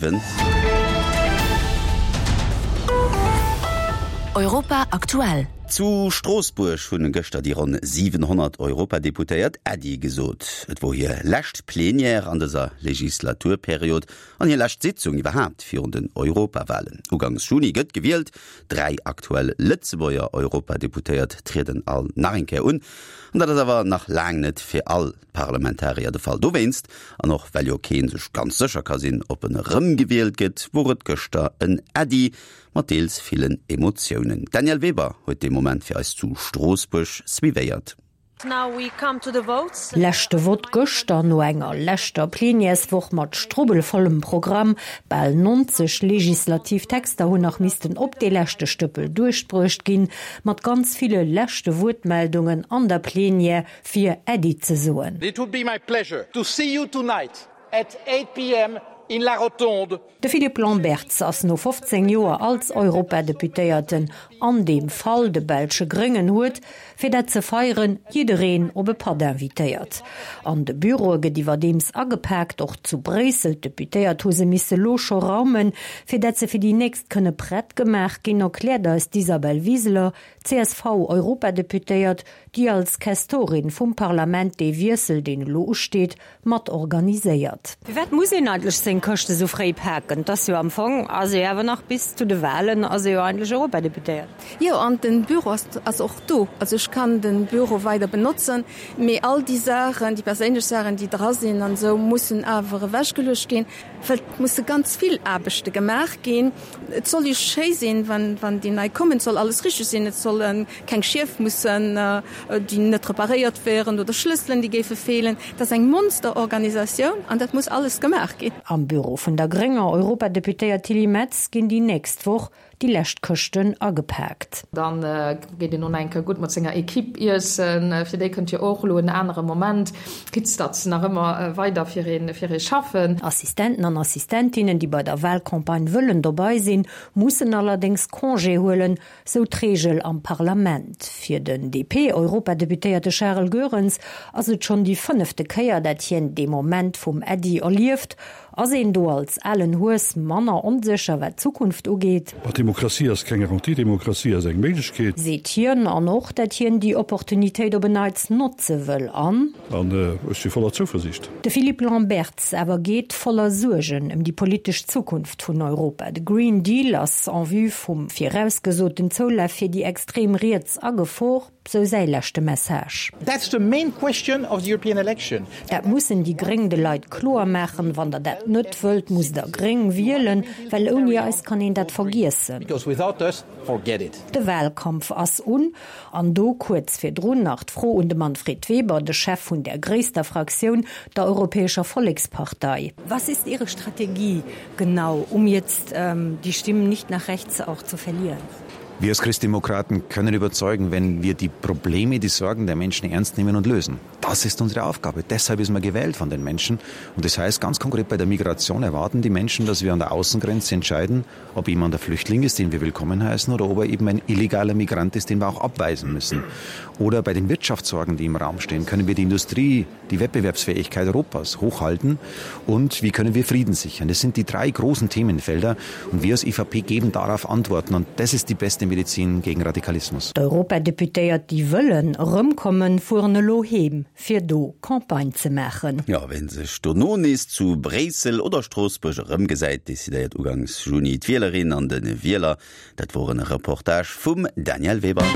7. Europa aktuell. Zu Stroossbuerg hunn gëschter déi ronn 700 Europadeputéiert Äddi gesot. Et wor hir lescht Plenière an dëser Legislaturperiod an hir lescht Sitzung iwwerhaapt virun den Europawalen. Ugangs Juni gëtt gewielt. Dräi aktuell Lëtzebuerger Europadeputéiert trieden all nach eng Kéier un. An dat ass awer nach laang net fir all Parlamentarier de Fall. Dowéinst, an och well jo kee sech ganz sécher ka sinn, ob en erëmgewielt gëtt, wor et gëschter en Äddi mat deels villen Emotiounen. D'Danièle Weber huet dee Moment fir eis zu Stroossbuerg suivéiert. Leschte Vott gëschter no enger leschter Plenièreswoch mat strubbelvollem Programm. Bal 90 legislativ Texter hunn nach missten op dee leschte Stëppel duerchbruecht ginn, mat ganz ville leschte Wuertmeldungen an der Plenière. fir Äddi ze soen. It would be my pleasure to see you tonight at 8 pm in La Rotonde. De Philippe Lamberts ass no 15 Joer als Europadeputéierten, an deem Fall de belsche Gréngen, huet, fir dat ze feieren, jiddereen op e Patt invitéiert. An de Büroe gëtt iwwerdeems agepaakt, och zu Bréissel. D'Deputéiert hu se misse lo scho raumen, fir dat se fir déi nächst kënne prett gemaach ginn, erkläert eis d'Isabel Wiseler, CSV-Europadeputéiert, déi als Questorin vum Parlament dee Wiessel, deen elo usteet, mat organiséiert. Firwat muss een eigentlech seng Këschte sou fréi paken? Et ass jo am Fong, ass ee jo awer nach bis zu de Wahlen ass ee jo eigentlech Europadeputéiert. Jo, an den Büro ass ass och do. Also ech kann den Büro weider benotzen, mee all déi Saachen, déi perséinlech Saachen, déi dra sinn an esou, mussen awer ewechgeluecht ginn, well et musse ganz vill Aarbechte gemaach ginn. Et soll jo schéi sinn, wann wann déi nei kommen, et soll alles richteg sinn, et solle keng Schief mussen, déi net reparéiert wären oder Schlësselen, déi géife feelen. Dat ass eng Monsterorganisatioun an dat muss alles gemaach ginn. Am Büro vun der grénger Europadeputéiert Tilly Metz ginn déi nächst Woch déi lescht Këschten agepaakt. Dann geet een och nach eng Kéier gutt mat senger Equipe iessen. Fir déi kënnt jo och elo en anere Moment, quitte datt se nach ëmmer weider fir ee fir ee schaffen. Assistenten an Assistentinnen, déi bei der Wahlcampagne wëllen dobei sinn, mussen allerdéngs Congé huelen, sou d'Reegel am Parlament. Fir den DP-Europadeputéierte Charel Goerens ass et schonn déi fënnefte Kéier, dat hien dee Moment vum Äddi erlieft. Ass een do als alen Hues manner onsécher, wat d'Zukunft ugeet? Ma Demokratie ass keng Garantie, Demokratie ass eng Méiglechkeet. Seet hien. An och, dat hien déi Opportunitéit op en Neits notze wëll. An. An ech si voller Zouversiicht. De Philippe Lamberts awer geet voller Suergen ëm déi politesch Zukunft vun Europa. De Green Deal ass en vue vum virausgesoten Zoulaf fir déi extrem Riets a Gefor, sou säi leschte Message. That's the main question of the European election. Dat mussen déi Gréng de Leit kloer maachen. Wann der dat net wëllt, musst der Gréng wielen, well ouni eis kann een dat vergiessen. Because without us, forget it. De Wahlkampf ass un. An do kuerz virdrun nach d'Fro un de Manfred Weber, de Chef vun där gréisster Fraktioun, der Europäescher Vollekspartei. Was ist Ihre Strategie genau, um jetzt die Stimmen nicht nach rechts auch zu verlieren? Wir als Christdemokraten können überzeugen, wenn wir die Probleme, die Sorgen der Menschen ernst nehmen und lösen. Das ist unsere Aufgabe. Deshalb ist man gewählt von den Menschen. Und das heißt ganz konkret bei der Migration erwarten die Menschen, dass wir an der Außengrenze entscheiden, ob jemand ein Flüchtling ist, den wir willkommen heißen, oder ob er eben ein illegaler Migrant ist, den wir auch abweisen müssen. Oder bei den Wirtschaftssorgen, die im Raum stehen, können wir die Industrie, die Wettbewerbsfähigkeit Europas hochhalten und wie können wir Frieden sichern? Das sind die drei großen Themenfelder und wir als EVP geben darauf Antworten und das ist die beste Medizin gegen Radikalismus. D'Europadeputéiert, déi wëllen erëmkommen, fueren elo heem, fir do Campagne ze maachen. Jo, ween sech dono nees zu Bréissel oder Stroossbuerg erëmgesäit, decidéiert ugangs Juni d'Wielerin an de Wieler. Dat wor en Reportage vum Danièle Weber.